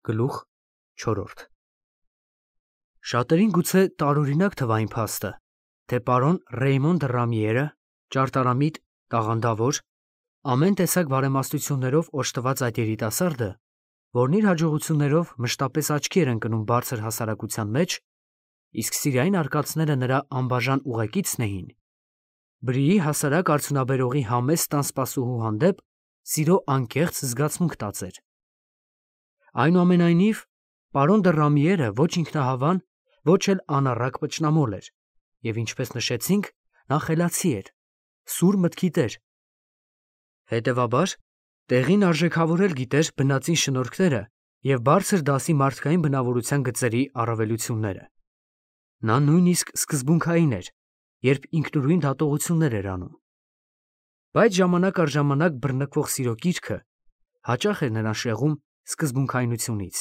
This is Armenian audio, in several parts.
Գլուխ 4 Շատերին գուցե տարօրինակ թվա այն փաստը, թե պարոն Ռեյմոն դը Ռամիերը, ճարտարամիտ, տաղանդավոր, ամեն տեսակ բարեմաստություններով օժտված այդ երիտասարդը, որն իր հաջողություններով մշտապես աչքի էր ընկնում բարձր հասարակության մեջ, իսկ սիրային արկածները նրա անբաժան ուղեկիցն էին, Բրիի հասարակ արդյունաբերողի համեստ տան սպասուհու հանդեպ սիրո անկեղծ զգացմունք տածեր։ Այնուամենայնիվ, պարոն դը Ռամիերը ոչ ինքնահավան, ոչ էլ անառակ պճնամոլ էր, և ինչպես նշեցինք, նա խելացի էր, սուր մտքի տեր։ Հետևաբար, տեղին արժեքավորել գիտեր բնածին շնորհքները և բարձր դասի մարդկային բնավորության գծերի առավելությունները։ Նա նույնիսկ սկզբունքային էր, երբ ինքնուրույն դատողություններ էր անում։ Բայց ժամանակ առ ժամանակ բռնկվող սիրո կիրքը հաճախ էր նրան շեղում սկզբունքայնությունից։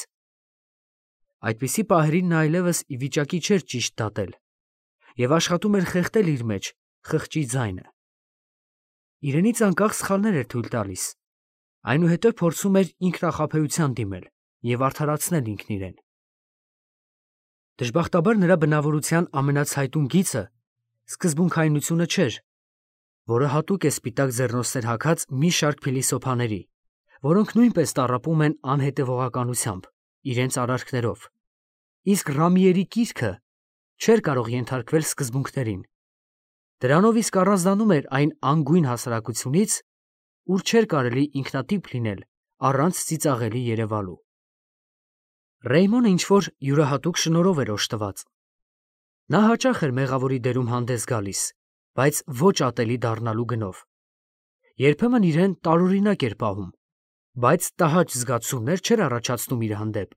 Այդպիսի պահերին նա այլևս ի վիճակի չէր ճիշտ դատել և աշխատում էր խեղդել իր մեջ խղճի ձայնը։ Իրենից անկախ սխալներ էր թույլ տալիս, այնուհետև փորձում էր ինքնախաբեության դիմել և արդարացնել ինքն իրեն։ Դժբախտաբար նրա բնավորության ամենացայտուն գիծը սկզբունքայնությունը չէր, որը հատուկ է սպիտակ ձեռնոցներ հագած մի շարք փիլիսոփաների, որոնք նույնպես տառապում են անհետևողականությամբ, իրենց արարքներով, իսկ Ռամիերի կիրքը չէր կարող ենթարկվել սկզբունքներին։ Դրանով իսկ առանձնանում էր այն անգույն հասարակությունից, ուր չէր կարելի ինքնատիպ լինել առանց ծիծաղելի երևալու։ Ռեյմոնը ինչ-որ յուրահատուկ շնորհով էր օժտված։ Նա հաճախ էր մեղավորի դերում հանդես գալիս, բայց ոչ ատելի դառնալու գնով։ Երբեմն իրեն տարօրինակ էր պահում, բայց տհաճ զգացումներ չէր առաջացնում իր հանդեպ։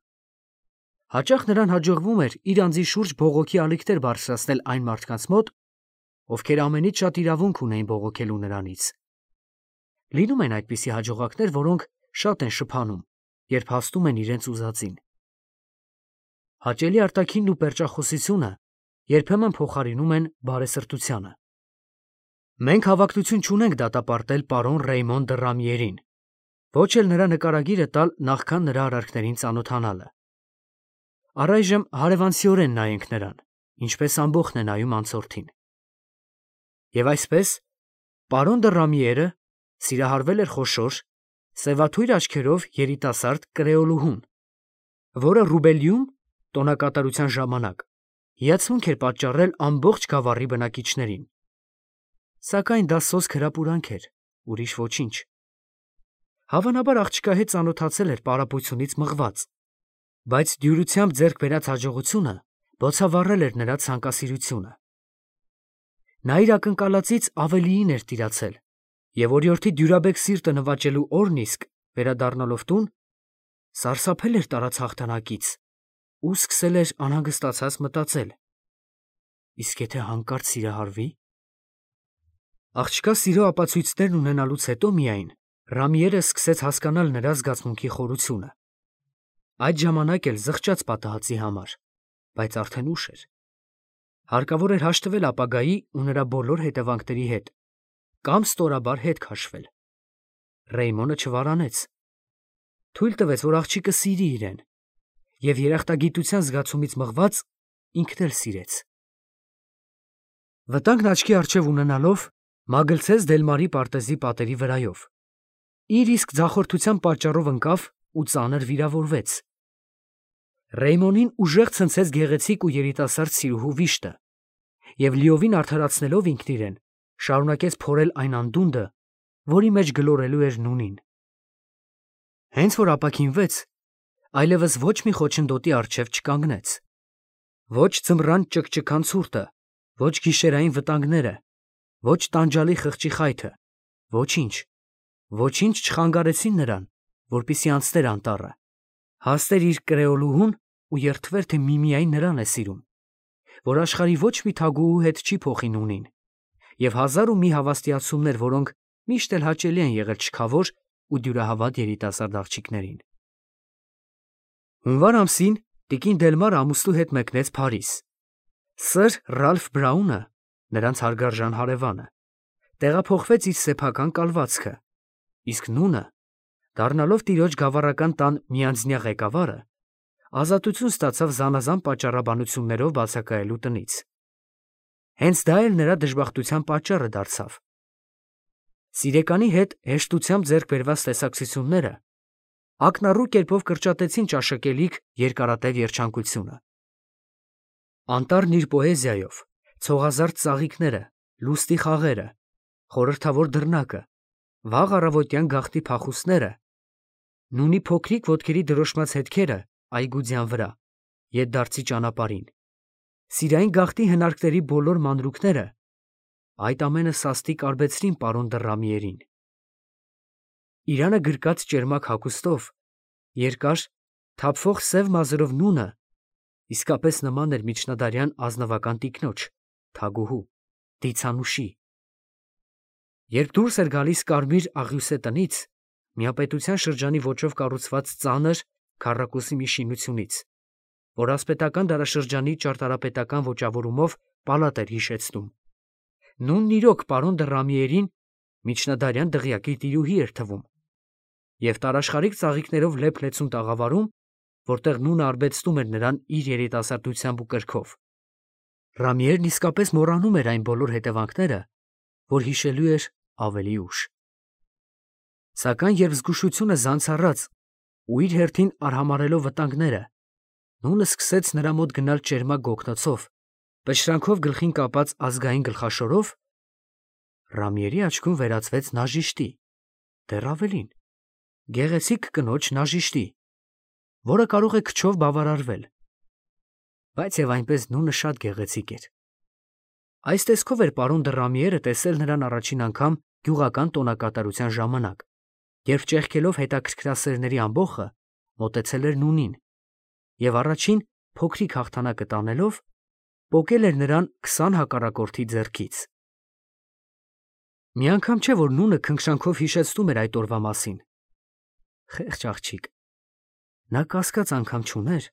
Հաճախ նրան հաջողվում էր իր անձի շուրջ բողոքի ալիքներ բարձրացնել այն մարդկանց մոտ, ովքեր ամենից շատ իրավունք ունեին բողոքելու նրանից։ Լինում են այդպիսի հաջողակներ, որոնք շատ են շփանում, երբ հասնում են իրենց ուզածին։ Հաճելի արտաքինն ու պերճախոսությունը երբեմն փոխարինում են բարեսրտությանը։ Մենք հավակնություն չունենք դատապարտել պարոն Ռեյմոն դը Ռամիերին, ոչ էլ նրա նկարագիրը տալ նախքան նրա արարքներին ծանոթանալը։ Առայժմ հարևանցիորեն նայենք նրան, ինչպես ամբոխն է նայում անցորդին։ Եվ այսպես, պարոն դը Ռամիերը սիրահարվել էր խոշոր, սևաթույր աչքերով երիտասարդ կրեոլուհուն, որը Ռուբելիում տոնակատարության ժամանակ հիացմունք էր պատճառել ամբողջ գավառի բնակիչներին։ Սակայն դա սոսկ հրապուրանք էր, ուրիշ ոչինչ։ Հավանաբար աղջկա հետ ծանոթացել էր պարապությունից մղված, բայց դյուրությամբ ձեռք բերած հաջողությունը բոցավառել էր նրա ցանկասիրությունը։ Նա իր ակնկալածից ավելիին էր տիրացել, և օրիորդի դյուրաբեկ սիրտը նվաճելու օրն իսկ, վերադառնալով տուն, սարսափել էր տարած հաղթանակից ու սկսել էր անհանգստացած մտածել. իսկ եթե հանկարծ սիրահարվի։ Աղջկա սիրո ապացույցներն ունենալուց հետո միայն Ռամիերը սկսեց հասկանալ նրա զգացմունքի խորությունը։ Այդ ժամանակ էլ զղջաց պատահածի համար, բայց արդեն ուշ էր։ Հարկավոր էր հաշտվել ապագայի ու նրա բոլոր հետևանքների հետ կամ ստորաբար հետ քաշվել։ Ռեյմոնը չվարանեց։ Թույլ տվեց, որ աղջիկը սիրի իրեն, և երախտագիտության զգացումից մղված ինքն էլ սիրեց։ Վտանգն աչքի առջև ունենալով մագլցեց Դելմարի պարտեզի պատերի վրայով։ Իր իսկ ձախորդության պատճառով ընկավ ու ծանր վիրավորվեց։ Ռեյմոնին ուժեղ ցնցեց գեղեցիկ ու երիտասարդ սիրուհու վիշտը, և լիովին արդարացնելով ինքն իրեն, շարունակեց փորել այն անդունդը, որի մեջ գլորելու էր նունին։ Հենց որ ապաքինվեց, այլևս ոչ մի խոչընդոտի առջև չկանգնեց։ Ոչ ձմռան ճկճկան ցուրտը, ոչ գիշերային վտանգները, ոչ տանջալի խղճի խայթը, ոչինչ չխանգարեցին նրան, որպեսզի անցներ անտառը, հասներ իր կրեոլուհուն ու երդվեր, թե միմիայն նրան է սիրում, որ աշխարհի ոչ մի թագուհու հետ չի փոխի նունին, և հազար ու մի հավաստիացումներ, որոնք միշտ էլ հաճելի են եղել չքավոր ու դյուրահավատ երիտասարդ աղջիկներին։ Հունվար ամսին տիկին Դելմարը ամուսնու հետ մեկնեց Փարիզ։ Սըր Ռալֆ Բրաունը, նրանց հարգարժան հարևանը, տեղափոխվեց իր սեփական կալվածքը, իսկ նունը, դառնալով տիրոջ գավառական տան միանձնյա ղեկավարը, ազատություն ստացավ զանազան պատճառաբանություններով բացակայելու տնից։ Հենց դա էլ նրա դժբախտության պատճառը դարձավ։ Սիրեկանի հետ հեշտությամբ ձեռք բերված տեսակցությունները ակնառու կերպով կրճատեցին ճաշակելիք երկարատև երջանկությունը։ Անտառն իր պոեզիայով, ցողազարդ ծաղիկները, լուստի խաղերը, խորհրդավոր դռնակը, վաղ առավոտյան գաղտնի փախուստները, նունի փոքրիկ ոտքերի դրոշմած հետքերը այգուձյան վրա, ետդարձի ճանապարհին, սիրային գաղտնի հնարքների բոլոր մանրուքները, այդ ամենը սաստիկ արբեցրին պարոն Դռամիերին։ Իրանը գրկած ճերմակ հագուստով, երկար, թափվող սև մազերով նունը իսկապես նման էր միջնադարյան ազնվական տիկնոջ, թագուհու, դիցանուշի։ Երբ դուրս էր գալիս կարմիր աղյուսե տնից, միապետության շրջանի ոճով կառուցված ծանր քառակուսի մի շինությունից, որ ասպետական դարաշրջանի ճարտարապետական ոճավորումով պալատ էր հիշեցնում, նունն իրոք պարոն Դռամիերին միջնադարյան դղյակի տիրուհի էր թվում, և տարաշխարհիկ ծաղիկներով լեփ-լեցուն տաղավարում, որտեղ նունը արբեցնում էր նրան իր երիտասարդությամբ ու կրքով, Ռամիերն իսկապես մոռանում էր այն բոլոր հետևանքները, որ հիշելու էր ավելի ուշ։ Սակայն երբ զգուշությունը զանց առած ու իր հերթին արհամարհելով վտանգները, նունը սկսեց նրա մոտ գնալ ճերմակ գոգնոցով, պշրանքով գլխին կապած ազգային գլխաշորով, Ռամիերի աչքում վերածվեց նաժիշտի, դեռ ավելին, գեղեցիկ կնոջ նաժիշտի, որը կարող է քչով բավարարվել, բայց եւ այնպես նունը շատ գեղեցիկ էր։ Այս տեսքով էր պարոն Դռամիերը տեսել նրան առաջին անգամ գյուղական տոնակատարության ժամանակ, երբ ճեղքելով հետաքրքրասերների ամբոխը մոտեցել էր նունին և առաջին փոքրիկ հաղթանակը տանելով պոկել էր նրան 20 հակառակորդի ձեռքից։ Մի անգամ չէ, որ նունը քնքշանքով հիշեցնում էր այդ օրվա մասին։ Խեղճ աղջիկ, նա կասկած անգամ չուներ,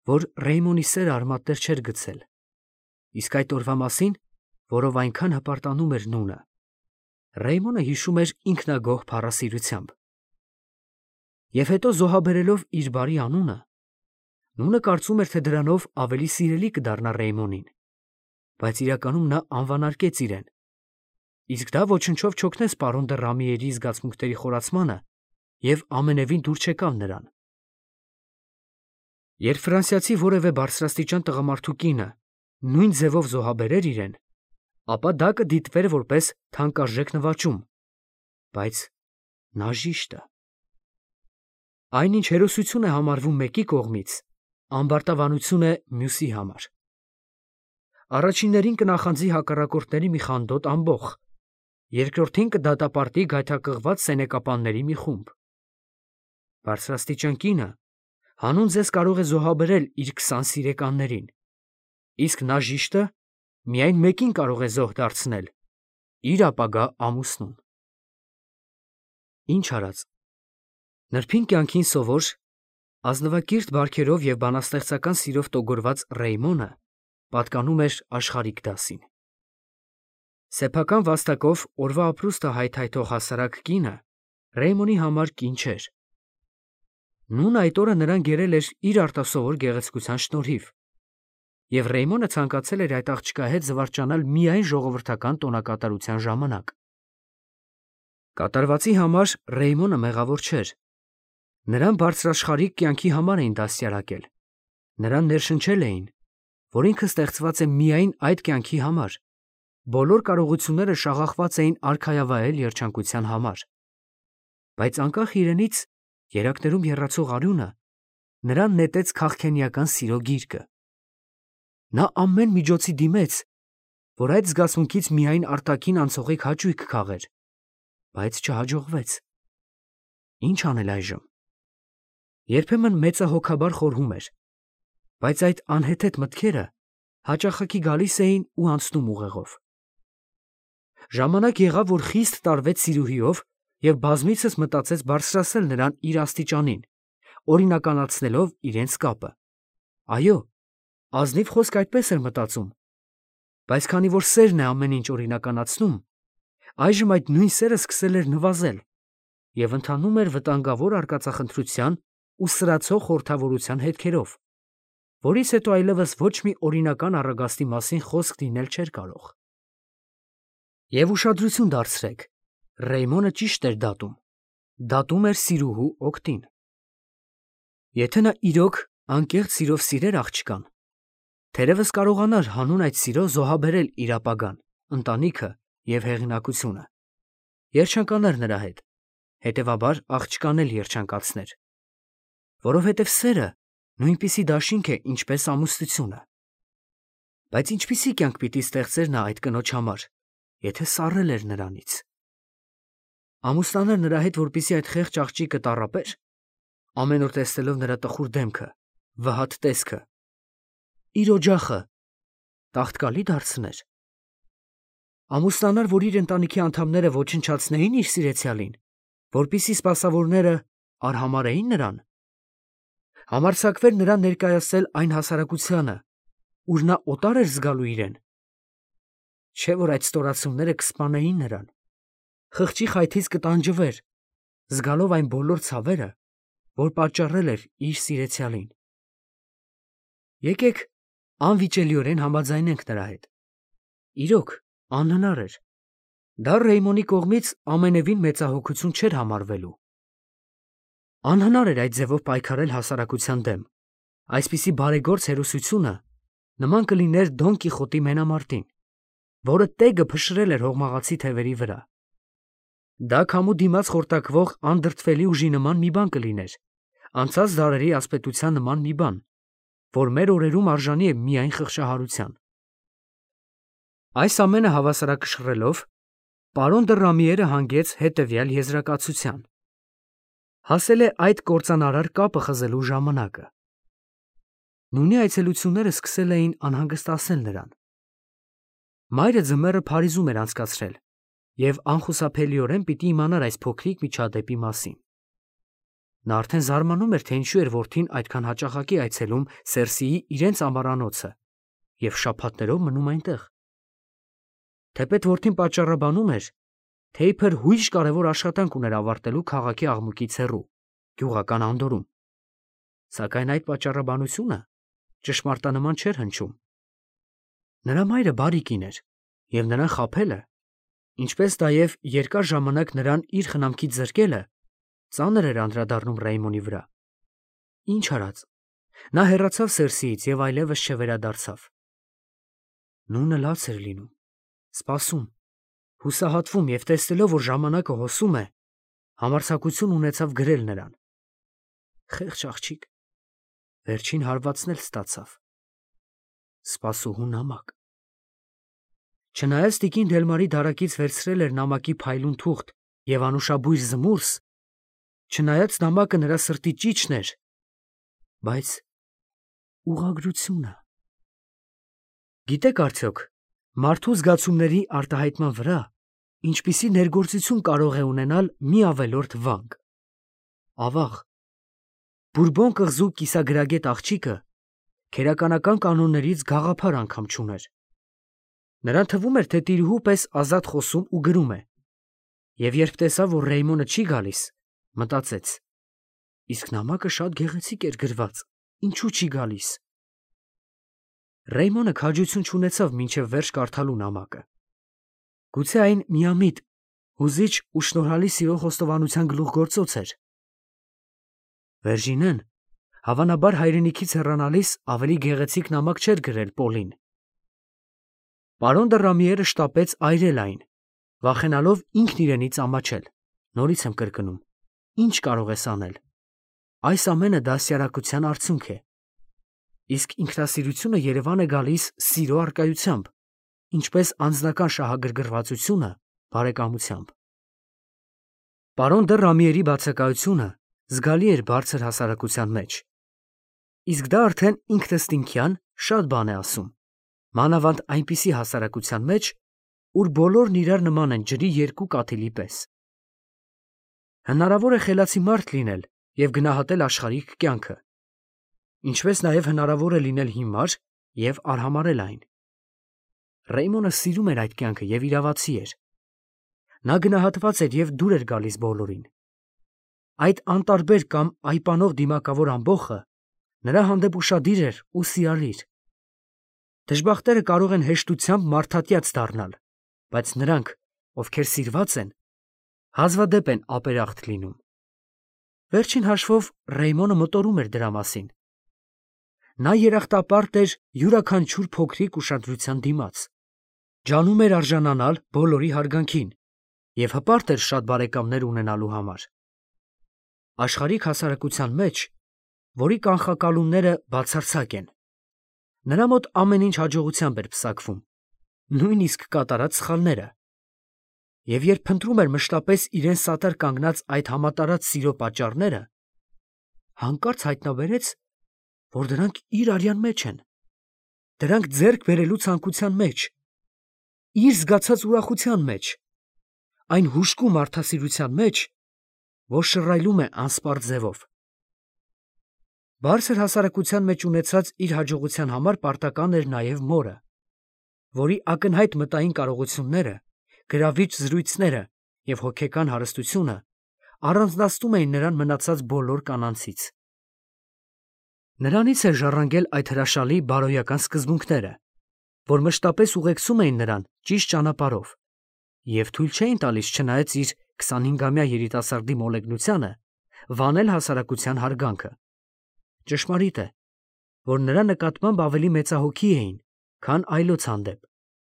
որ Ռեյմոնի սերը արմատներ չէր գցել, իսկ այդ օրվա մասին, որով այնքան հպարտանում էր նունը, Ռեյմոնը հիշում էր ինքնագոհ փառասիրությամբ։ Եվ հետո զոհաբերելով իր բարի անունը, նունը կարծում էր, թե դրանով ավելի սիրելի կդառնա Ռեյմոնին, բայց իրականում նա անվանարկեց իրեն, իսկ դա ոչնչով չօգնեց պարոն Դռամիերի զգացմունքների խորացմանը և ամենևին դուր չեկավ նրան։ Երբ ֆրանսիացի որևէ բարձրաստիճան տղամարդու կինը նույն ձևով զոհաբերեր իրեն, ապա դա կդիտվեր որպես թանկարժեք նվաճում, բայց նաժիշտը… Այնինչ հերոսություն է համարվում մեկի կողմից, ամբարտավանություն է մյուսի համար։ Առաջիններին կնախանձի հակառակորդների մի խանդոտ ամբոխ, երկրորդին կդատապարտի գայթակղված սենեկապանների մի խումբ։ Բարձրաստիճան կինը հանուն ձեզ կարող է զոհաբերել իր 20 սիրեկաններին, իսկ նաժիշտը միայն մեկին կարող է զոհ դարձնել՝ իր ապագա ամուսնուն։ Ինչ արած, նրբին կյանքին սովոր, ազնվակիրթ բարքերով և բանաստեղծական սիրով տոգորված Ռեյմոնը պատկանում էր աշխարհիկ դասին։ Սեփական վաստակով օրվա ապրուստը հայթայթող հասարակ կինը Ռեյմոնի համար կին չէր։ Նունը այդ օրը նրան գերել էր իր արտասովոր գեղեցկության շնորհիվ, և Ռեյմոնը ցանկացել էր այդ աղջկա հետ զվարճանալ միայն ժողովրդական տոնակատարության ժամանակ։ Կատարվածի համար Ռեյմոնը մեղավոր չէր։ Նրան բարձրաշխարհիկ կյանքի համար էին դաստիարակել, նրան ներշնչել էին, որ ինքը ստեղծված է միայն այդ կյանքի համար, բոլոր կարողությունները շաղախված էին արքայավայել երջանկության համար։ Բայց անկախ իրենից երակներում եռացող արյունը նրան նետեց քաղքենիական սիրո գիրկը։ Նա ամեն միջոցի դիմեց, որ այդ զգացմունքից միայն արտաքին անցողիկ հաճույք քաղեր, բայց չհաջողվեց։ Ինչ անել այժմ։ Երբեմն մեծահոգաբար խորհում էր, բայց այդ անհեթեթ մտքերը հաճախակի գալիս էին ու անցնում ուղեղով։ Ժամանակ եղավ, որ խիստ տարվեց սիրուհիով և բազմիցս մտածեց բարձրացնել նրան իր աստիճանին, օրինականացնելով իրենց կապը։ Այո, ազնիվ խոսք այդպես էր մտածում, բայց քանի որ սերն է ամեն ինչ օրինականացնում, այժմ այդ նույն սերը սկսել էր նվազել և ընթանում էր վտանգավոր արկածախնդրության ու սրացող խորհրդավորության հետքերով, որից հետո այլևս ոչ մի օրինական առագաստի մասին խոսք լինել չէր կարող։ Եվ ուշադրություն դարձրեք, Ռեյմոնը ճիշտ էր դատում։ Դատում էր սիրուհու օգտին։ Եթե նա իրոք անկեղծ սիրով սիրեր աղջկան, թերևս կարողանար հանուն այդ սիրո զոհաբերել իր ապագան, ընտանիքը և հեղինակությունը, երջանկանար նրա հետ, հետևաբար աղջկան էլ երջանկացներ, որովհետև սերը նույնպիսի դաշինք է, ինչպես ամուսնությունը։ Բայց ինչպիսի կյանք պիտի ստեղծեր նա այդ կնոջ համար, եթե սառել էր նրանից։ Ամուսնանար նրա հետ, որպեսզի այդ խեղճ աղջիկը տառապեր, ամեն օր տեսնելով նրա տխուր դեմքը, վհատ տեսքը, իր օջախը տաղտկալի դարձներ։ Ամուսնանար, որ իր ընտանիքի անդամները ոչնչացնեին իր սիրեցյալին, որպեսզի սպասավորները արհամարհեին նրան։ Համարձակվեր նրան ներկայացնել այն հասարակությանը, ուր նա օտար էր զգալու իրեն։ Չէ՞ որ այդ ստորացումները կսպանեին նրան, խղճի խայթից կտանջվեր, զգալով այն բոլոր ցավերը, որ պատճառել էր իր սիրեցյալին։ Եկեք անվիճելիորեն համաձայնենք նրա հետ։ Իրոք, անհնար էր։ Դա Ռեյմոնի կողմից ամենևին մեծահոգություն չէր համարվելու։ Անհնար էր այդ ձևով պայքարել հասարակության դեմ։ Այսպիսի բարեգործ հերոսությունը նման կլիներ Դոն Կիխոտի մենամարտին, որը տեգը փշրել էր հողմաղացի թևերի վրա։ Դա քամու դիմաց խորտակվող անդրդվելի ուժի նման մի բան կլիներ, անցած դարերի ասպետության նման մի բան, որ մեր օրերում արժանի է միայն խղճահարության։ Այս ամենը հավասարակշռելով, պարոն դը Ռամիերը հանգեց հետևյալ եզրակացության. հասել է այդ կործանարար կապը խզելու ժամանակը։ Նույնի այցելությունները սկսել էին անհանգստացնել նրան։ Մայրը ձմեռը Փարիզում էր անցկացրել և անխուսափելիորեն պիտի իմանար այս փոքրիկ միջադեպի մասին։ Նա արդեն զարմանում էր, թե ինչու էր որդին այդքան հաճախակի այցելում Սերսիի իրենց ամառանոցը և շաբաթներով մնում այնտեղ։ Թեպետ որդին պատճառաբանում էր, թե իբր հույժ կարևոր աշխատանք ուներ ավարտելու քաղաքի աղմուկից հեռու, գյուղական անդորում։ Սակայն այդ պատճառաբանությունը ճշմարտանման չէր հնչում։ Նրա մայրը բարի կին էր, և նրան խաբելը, ինչպես նաև երկար ժամանակ նրան իր խնամքից զրկելը, ծանր էր անդրադառնում Ռեյմոնի վրա։ Ինչ արած, նա հեռացավ Սերսիից և այլևս չվերադարձավ։ Նունը լաց էր լինում, սպասում, հուսահատվում և տեսնելով, որ ժամանակը հոսում է, համարձակություն ունեցավ գրել նրան. խեղճ աղջիկ, վերջին հարվածն էլ ստացավ։ Սպասուհու նամակ։ Չնայած տիկին Դելմարի դարակից վերցրել էր նամակի փայլուն թուղթ և անուշաբույր զմուրս, չնայած նամակը նրա սրտի ճիչն էր, բայց ուղղագրությունը… Գիտեք արդյոք, մարդու զգացումների արտահայտման վրա ինչպիսի ներգործություն կարող է ունենալ մի ավելորդ վանք։ Ավաղ, Բուրբոն կղզու կիսագրագետ աղջիկը քերականական կանոններից գաղափար անգամ չուներ։ Նրան թվում էր, թե տիրուհու պես ազատ խոսում ու գրում է, և երբ տեսավ, որ Ռեյմոնը չի գալիս, մտածեց. իսկ նամակը շատ գեղեցիկ էր գրված, ինչու չի գալիս։ Ռեյմոնը քաջություն չունեցավ մինչև վերջ կարդալու նամակը։ Գուցե այն միամիտ, հուզիչ ու շնորհալի սիրո խոստովանության գլուխգործոց էր։ Վերժինեն, հավանաբար հայրենիքից հեռանալիս ավելի գեղեցիկ նամակ չէր գրել Պոլին։ Պարոն դը Ռամիերը շտապեց այրել այն, վախենալով ինքն իրենից ամաչել։ Նորից եմ կրկնում, ինչ կարող ես անել։ Այս ամենը դաստիարակության արդյունք է։ Իսկ ինքնասիրությունը Երևան է գալիս սիրո առկայությամբ, ինչպես անձնական շահագրգռվածությունը բարեկամությամբ։ Պարոն դը Ռամիերի բացակայությունը զգալի էր բարձր հասարակության մեջ։ Իսկ դա արդեն ինքնըստինքյան շատ բան է ասում, մանավանդ այնպիսի հասարակության մեջ, ուր բոլորն իրար նման են ջրի երկու կաթիլի պես։ Հնարավոր է խելացի մարդ լինել և գնահատել աշխարհիկ կյանքը, ինչպես նաև հնարավոր է լինել հիմար և արհամարհել այն։ Ռեյմոնը սիրում էր այդ կյանքը և իրավացի էր։ Նա գնահատված էր և դուր էր գալիս բոլորին։ Այդ անտարբեր կամ այպանող դիմակավոր ամբոխը նրա հանդեպ ուշադիր էր ու սիրալիր։ Դժբախտերը կարող են հեշտությամբ մարդատյաց դառնալ, բայց նրանք, ովքեր սիրված են, հազվադեպ են ապերախտ լինում։ Վերջին հաշվով Ռեյմոնը մտորում էր դրա մասին։ Նա երախտապարտ էր յուրաքանչյուր փոքրիկ ուշադրության դիմաց, ջանում էր արժանանալ բոլորի հարգանքին և հպարտ էր շատ բարեկամներ ունենալու համար։ Աշխարհիկ հասարակության մեջ, որի կանխակալումները բացարձակ են, նրա մոտ ամեն ինչ հաջողությամբ էր պսակվում, նույնիսկ կատարած սխալները, և երբ փնտրում էր մշտապես իրեն սատար կանգնած այդ համատարած սիրո պատճառները, հանկարծ հայտնաբերեց, որ դրանք իր արյան մեջ են, դրանք ձեռք բերելու ցանկության մեջ, իր զգացած ուրախության մեջ, այն հուժկու մարդասիրության մեջ, որ շռայլում է անսպառ ձևով։ Բարձր հասարակության մեջ ունեցած իր հաջողության համար պարտական էր նաև մորը, որի ակնհայտ մտային կարողությունները, գրավիչ զրույցները և հոգեկան հարստությունը առանձնացնում էին նրան մնացած բոլոր կանանցից։ Նրանից էր ժառանգել այդ հրաշալի բարոյական սկզբունքները, որ մշտապես ուղեկցում էին նրան ճիշտ ճանապարհով և թույլ չէին տալիս, չնայած իր 25-ամյա երիտասարդի մոլեգնությանը, վանել հասարակության հարգանքը։ Ճշմարիտ է, որ նրա նկատմամբ ավելի մեծահոգի էին, քան այլոց հանդեպ,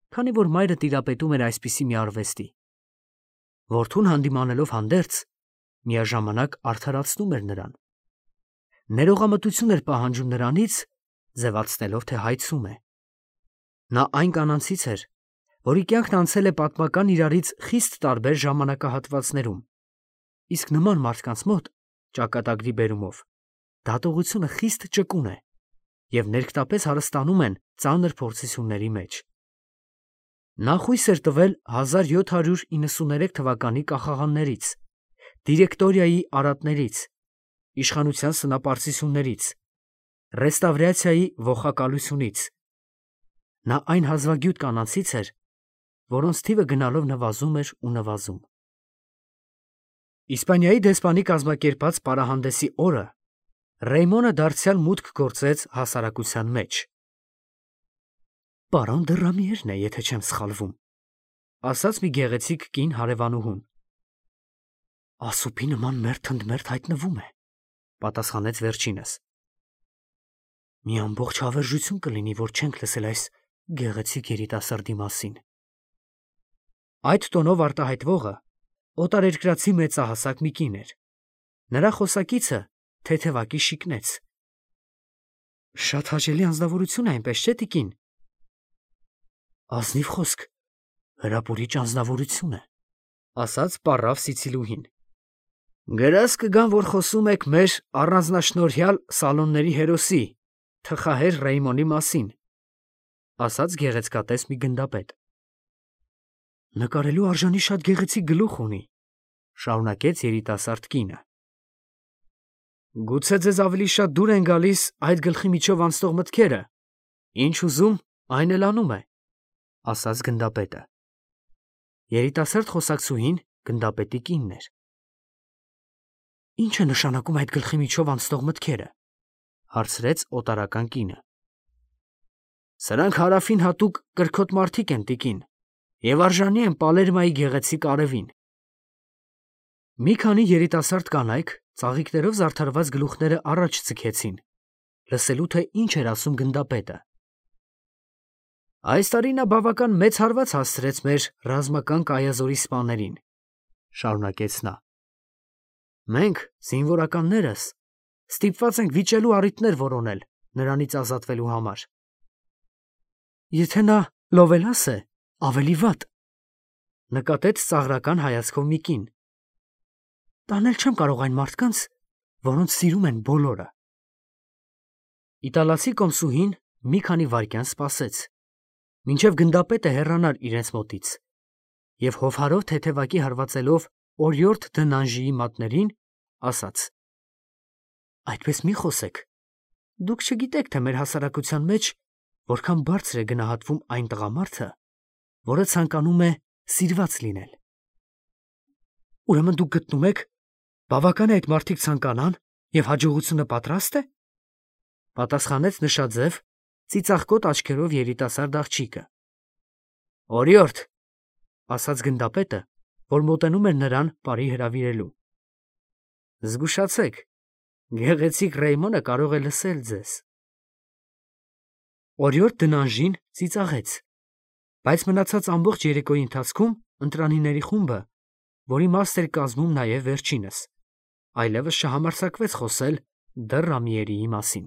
քանի որ մայրը տիրապետում էր այսպիսի մի արվեստի։ Որդուն հանդիմանելով հանդերձ, միաժամանակ արդարացնում էր նրան։ Ներողամտություն էր պահանջում նրանից, ձևացնելով, թե հայցում է։ Նա այն կանանցից էր, որի կյանքն անցել է պատմական իրարից խիստ տարբեր ժամանակահատվածներում, իսկ նման մարդկանց մոտ, ճակատագրի բերումով, դատողությունը խիստ ճկուն է և ներքտապես հարստանում են ծանր փորձությունների մեջ։ Նա խույս էր տվել 1793 թվականի կախաղաններից, դիրեկտորիայի արատներից, իշխանության սնապարծություններից, ռեստավրացիայի ողակալությունից։ Նա այն հազվագյուտ կանանցից էր, որոնց թիվը գնալով նվազում էր ու նվազում։ Իսպանիայի դեսպանի կազմակերպած պարահանդեսի օրը Ռեյմոնը դարձյալ մուտք գործեց հասարակության մեջ։ «Պարոն դը Ռամիերն է, եթե չեմ սխալվում», ասաց մի գեղեցիկ կին հարևանուհուն։ «Ասուպի նման մերթ ընդ մերթ հայտնվում է», պատասխանեց վերջինս։ «Մի ամբողջ հավերժություն կլինի, որ չենք լսել այս գեղեցիկ երիտասարդի մասին»։ Այդ տոնով արտահայտվողը օտարերկրացի մեծահասակ մի կին էր։ Նրա խոսակիցը թեթևակի շիկնեց։ «Շատ հաճելի անձնավորություն է, այնպես չէ, տիկին»։ «Ազնիվ խոսք, հրապուրիչ անձնավորություն է», ասաց պառավ սիցիլուհին։ «Գրած կգան, որ խոսում եք մեր առանձնաշնորհյալ սալոնների հերոսի, թխահեր Ռեյմոնի մասին», ասաց գեղեցկատես մի գնդապետ։ «Նկարելու արժանի շատ գեղեցիկ գլուխ ունի», շարունակեց երիտասարդ կինը։ «Գուցե ձեզ ավելի շատ դուր են գալիս այդ գլխի միջով անցնող մտքերը, ինչ ուզում, այն էլ անում է», ասաց գնդապետը։ Երիտասարդ խոսակցուհին գնդապետի կինն էր։ «Ինչ է նշանակում այդ գլխի միջով անցնող մտքերը», հարցրեց օտարական կինը։ «Սրանք Հարավին հատուկ կրքոտ մարդիկ են, տիկին, և արժանի են Պալերմայի գեղեցիկ արևին»։ Մի քանի երիտասարդ կանայք ծաղիկներով զարդարված գլուխները առաջ ձգեցին, լսելու, թե ինչ էր ասում գնդապետը։ «Այս տարի նա բավական մեծ հարված հասցրեց մեր ռազմական կայազորի սպաներին», շարունակեց նա։ «Մենք, զինվորականներս, ստիպված ենք վիճելու առիթներ որոնել նրանից ազատվելու համար»։ «Եթե նա լովելաս է, ավելի վատ», նկատեց ծաղրական հայացքով մի կին։ «Տանել չեմ կարող այն մարդկանց, որոնց սիրում են բոլորը»։ Իտալացի կոմսուհին մի քանի վայրկյան սպասեց, մինչև գնդապետը հեռանար իրենց մոտից, և հովհարով թեթևակի հարվածելով օրիորդ դը Նանժիի մատներին, ասաց. «Այդպես մի խոսեք, դուք չգիտեք, թե մեր հասարակության մեջ որքան բարձր է գնահատվում այն տղամարդը, որը ցանկանում է սիրված լինել»։ «Ուրեմն դուք գտնում եք, Բավական է այդ մարդիկ ցանկանան և հաջողությունը պատրաստ է, պատասխանեց նշաձև, ծիծաղկոտ աչքերով երիտասարդ աղջիկը։ Օրիորդ, ասաց գնդապետը, որ մոտենում էր նրան բարի հրավիրելու։ Զգուշացեք, գեղեցիկ Ռեյմոնը կարող է լսել ձեզ։ Օրիորդ դնանժին ծիծաղեց, բայց մնացած ամբողջ երեկոյի ընթացքում ընտրանիների խումբը, որի մասն էր կազմում նաև վերջինս, այլևս չհամարձակվեց խոսել դեռ Ռամիերիի մասին։